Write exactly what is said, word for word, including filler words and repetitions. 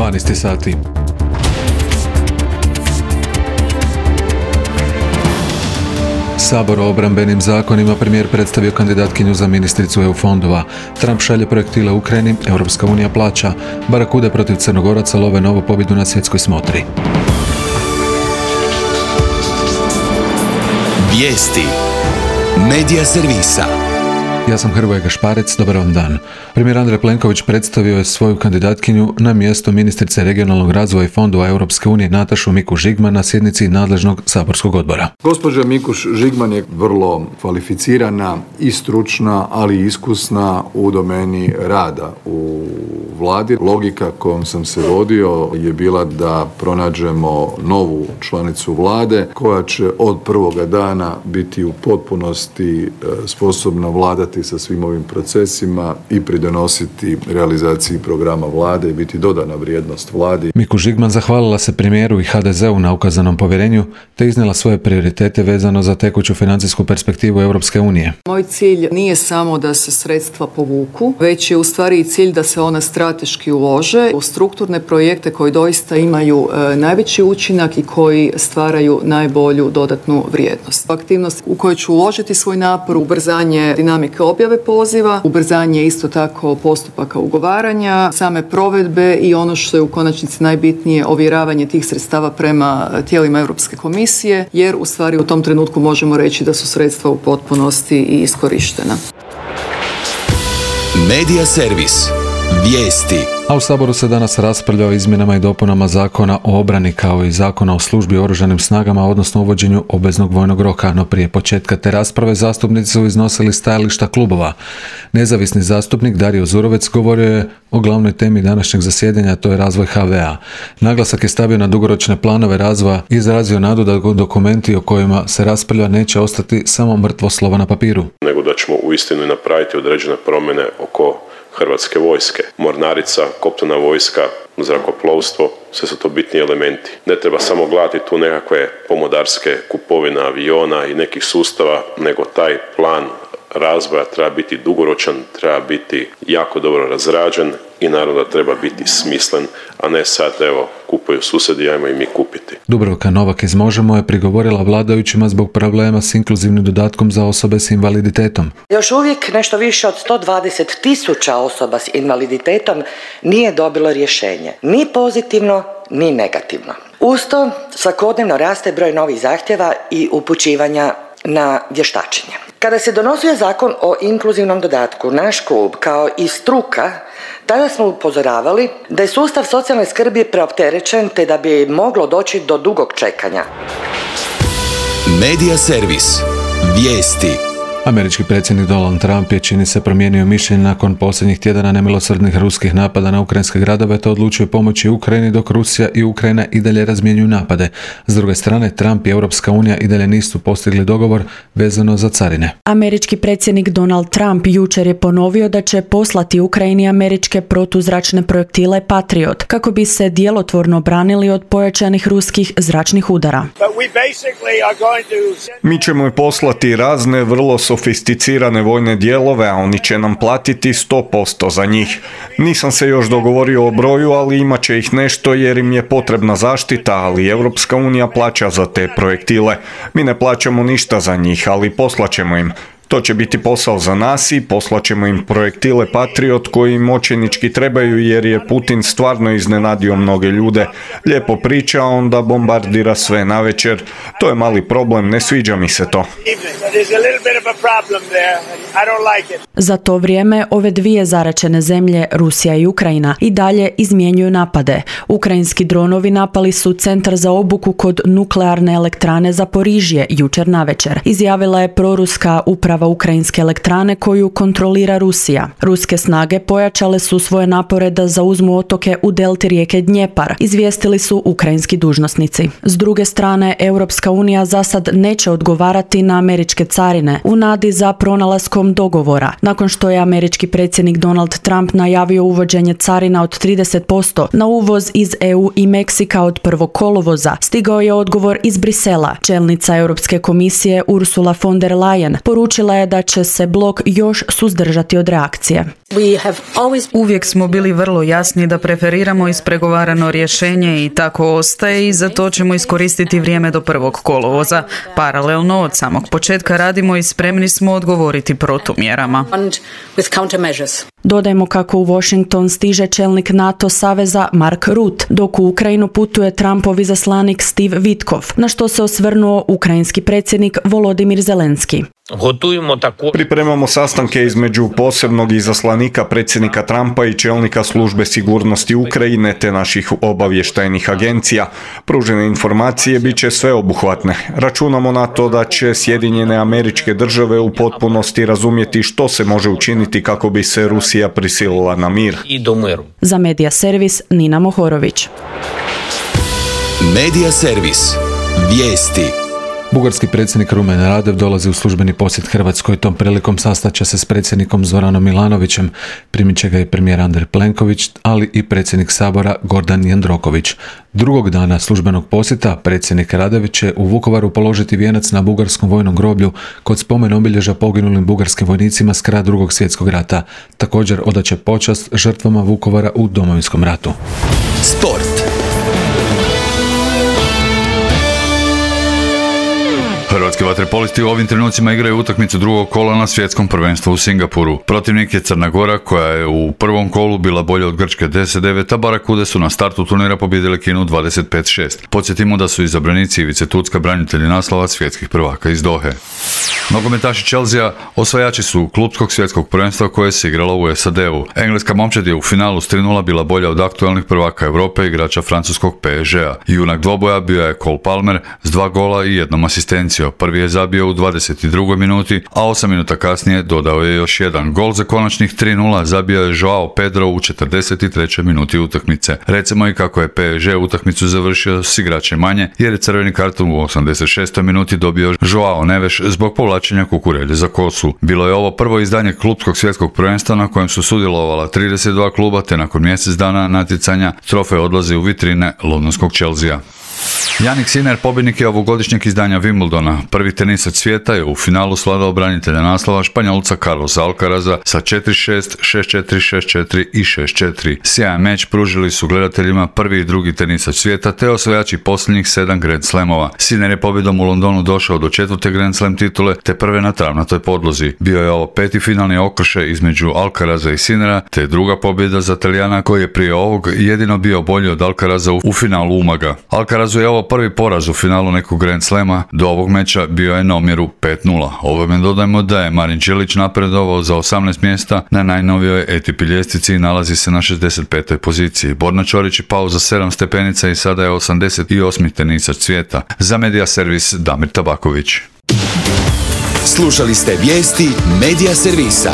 dvanaest sati. Sabor o obrambenim zakonima premijer predstavio kandidatkinju za ministricu E U fondova. Trump šalje projektile Ukrajini, Europska unija plaća. Barakude protiv Crnogoraca love novu pobjedu na svjetskoj smotri. Vijesti Medija servisa. Ja sam Hrvoje Gašparec, dobar vam dan. Premijer Andrej Plenković predstavio je svoju kandidatkinju na mjesto ministrice regionalnog razvoja i fondova Europske unije Natašu Mikuš Žigman na sjednici nadležnog saborskog odbora. Gospođa Mikuš Žigman je vrlo kvalificirana i stručna, ali i iskusna u domeni rada u vladi. Logika kojom sam se vodio je bila da pronađemo novu članicu vlade koja će od prvoga dana biti u potpunosti sposobna vladati sa svim ovim procesima i pridonositi realizaciji programa vlade i biti dodana vrijednost vladi. Mikuš Žigman zahvalila se premijeru i H D Z-u na ukazanom povjerenju te iznijela svoje prioritete vezano za tekuću financijsku perspektivu Europske unije. Moj cilj nije samo da se sredstva povuku, već je u stvari i cilj da se ona strateški ulože u strukturne projekte koji doista imaju e, najveći učinak i koji stvaraju najbolju dodatnu vrijednost. Aktivnost u kojoj ću uložiti svoj napor, ubrzanje dinamike objave poziva, ubrzanje isto tako postupaka ugovaranja, same provedbe i ono što je u konačnici najbitnije, ovjeravanje tih sredstava prema tijelima Europske komisije, jer u stvari u tom trenutku možemo reći da su sredstva u potpunosti i iskorištena. Medija servis. Vijesti. A u Saboru se danas raspravlja o izmjenama i dopunama Zakona o obrani kao i Zakona o službi u oružanim snagama, odnosno uvođenju obveznog vojnog roka, no prije početka te rasprave zastupnici su iznosili stajališta klubova. Nezavisni zastupnik Dario Zurovec govorio je o glavnoj temi današnjeg zasjedanja, to je razvoj H V A. Naglasak je stavio na dugoročne planove razvoja i izrazio nadu da dokumenti o kojima se raspravlja neće ostati samo mrtvo slovo na papiru. Nego da ćemo uistinu napraviti određene promjene oko Hrvatske vojske, mornarica, kopnena vojska, zrakoplovstvo, sve su to bitni elementi. Ne treba samo gledati tu nekakve pomodarske kupovine aviona i nekih sustava, nego taj plan razvoja treba biti dugoročan, treba biti jako dobro razrađen i naravno da treba biti smislen, a ne sad evo kupuju susjedi, ajmo i mi kupiti. Dubravka Novak iz Možemo je prigovorila vladajućima zbog problema s inkluzivnim dodatkom za osobe s invaliditetom. Još uvijek nešto više od sto dvadeset tisuća osoba s invaliditetom nije dobilo rješenje, ni pozitivno, ni negativno. Uz to svakodnevno raste broj novih zahtjeva i upućivanja na vještačenje. Kada se donosio zakon o inkluzivnom dodatku, naš klub kao i struka tada smo upozoravali da je sustav socijalne skrbi preopterećen te da bi moglo doći do dugog čekanja. Medija servis. Vijesti. Američki predsjednik Donald Trump je, čini se, promijenio mišljenje nakon posljednjih tjedana nemilosrdnih ruskih napada na ukrajinske gradove te odlučio pomoći Ukrajini dok Rusija i Ukrajina i dalje razmjenjuju napade. S druge strane, Trump i Europska unija i dalje nisu postigli dogovor vezano za carine. Američki predsjednik Donald Trump jučer je ponovio da će poslati Ukrajini američke protuzračne projektile Patriot kako bi se djelotvorno branili od pojačanih ruskih zračnih udara. Mi ćemo poslati razne vrlo sofisticirane vojne dijelove, a oni će nam platiti sto posto za njih. Nisam se još dogovorio o broju, ali imat će ih nešto jer im je potrebna zaštita, ali Europska unija plaća za te projektile. Mi ne plaćamo ništa za njih, ali poslaćemo im. To će biti posao za nas i poslaćemo im projektile Patriot koji im očajnički trebaju jer je Putin stvarno iznenadio mnoge ljude. Lijepo priča, onda bombardira sve navečer. To je mali problem, ne sviđa mi se to. Za to vrijeme ove dvije zaračene zemlje, Rusija i Ukrajina, i dalje izmjenjuju napade. Ukrajinski dronovi napali su centar za obuku kod nuklearne elektrane Zaporižje jučer navečer. Izjavila je proruska uprava ukrajinske elektrane koju kontrolira Rusija. Ruske snage pojačale su svoje napore da zauzmu otoke u delti rijeke Dnjepar, izvijestili su ukrajinski dužnosnici. S druge strane, Europska unija za sad neće odgovarati na američke carine u nadi za pronalaskom dogovora. Nakon što je američki predsjednik Donald Trump najavio uvođenje carina od trideset posto na uvoz iz E U i Meksika od prvog kolovoza, stigao je odgovor iz Brisela. Čelnica Europske komisije Ursula von der Leyen poručila poručila je da će se blok još suzdržati od reakcije. Uvijek smo bili vrlo jasni da preferiramo ispregovarano rješenje i tako ostaje i za to ćemo iskoristiti vrijeme do prvog kolovoza. Paralelno od samog početka radimo i spremni smo odgovoriti protumjerama. Dodajmo kako u Washington stiže čelnik NATO saveza Mark Rutte, dok u Ukrajinu putuje Trumpov izaslanik Steve Witkoff, na što se osvrnuo ukrajinski predsjednik Volodimir Zelenski. Pripremamo sastanke između posebnog izaslanika predsjednika Trumpa i čelnika službe sigurnosti Ukrajine te naših obavještajnih agencija. Pružene informacije bit će sveobuhvatne. Računamo na to da će Sjedinjene Američke Države u potpunosti razumjeti što se može učiniti kako bi se Rusija prisilila na mir. Za Medija servis Nina Mohorović. Medija servis. Vijesti. Bugarski predsjednik Rumen Radev dolazi u službeni posjet Hrvatskoj. Tom prilikom sastaće se s predsjednikom Zoranom Milanovićem, primit će ga i premijer Andrej Plenković, ali i predsjednik Sabora Gordan Jandroković. Drugog dana službenog posjeta predsjednik Radev će u Vukovaru položiti vijenac na bugarskom vojnom groblju kod spomen obilježja poginulim bugarskim vojnicima s kraja Drugog svjetskog rata. Također odaće počast žrtvama Vukovara u Domovinskom ratu. Sport. Hrvatski vaterpolisti u ovim trenucima igraju utakmicu drugog kola na svjetskom prvenstvu u Singapuru. Protivnik je Crna Gora koja je u prvom kolu bila bolja od Grčke deset devet, a Barakude su na startu turnira pobijedile Kinu dvadeset pet šest. Podsjetimo da su izabranici Ivice Tucka branitelji naslova svjetskih prvaka iz Dohe. Nogometaši Chelsea osvajači su klupskog svjetskog prvenstva koje se igralo u S A D-u. Engleska momčad je u finalu s tri nula bila bolja od aktualnih prvaka Europe igrača francuskog P S G-a. Junak dvoboja bio je Cole Palmer s dva gola i jednom asistencijom. Prvi je zabio u dvadeset drugoj minuti, a osam minuta kasnije dodao je još jedan. Gol za konačnih tri nula zabio je Joao Pedro u četrdeset trećoj minuti utakmice. Recimo i kako je P S G utakmicu završio s igračem manje, jer je crveni karton u osamdeset šestoj minuti dobio Joao Neves zbog povlačenja kukurelje za kosu. Bilo je ovo prvo izdanje klupskog svjetskog prvenstva na kojem su sudjelovala trideset dva kluba, te nakon mjesec dana natjecanja trofej odlazi u vitrine londonskog Chelsea. Jannik Sinner pobjednik je ovogodišnjeg izdanja Wimbledona. Prvi tenisac svijeta je u finalu svladao branitelja naslova Španjolca Carlosa Alcaraza sa četiri šest, šest četiri, šest četiri i šest četiri. Sjajan meč pružili su gledateljima prvi i drugi tenisac svijeta te osvajači posljednjih sedam Grand Slamova. Sinner je pobjedom u Londonu došao do četvrte Grand Slam titule te prve na travnatoj podlozi. Bio je ovo peti finalni okršaj između Alcaraza i Sinnera te druga pobjeda za Talijana koji je prije ovog jedino bio bolji od Alcaraza u finalu Umaga. Alcarazu je ovo prvi poraz u finalu nekog Grand Slama, do ovog meča bio je na omjeru pet nula. Ovome dodajmo da je Marin Čilić napredovao za osamnaest mjesta na najnovijoj A T P ljestvici i nalazi se na šezdeset petoj poziciji. Borna Ćorić je pao za sedam stepenica i sada je osamdeset osmi tenisac svijeta. Za Medija servis Damir Tabaković. Slušali ste vijesti Medija servisa.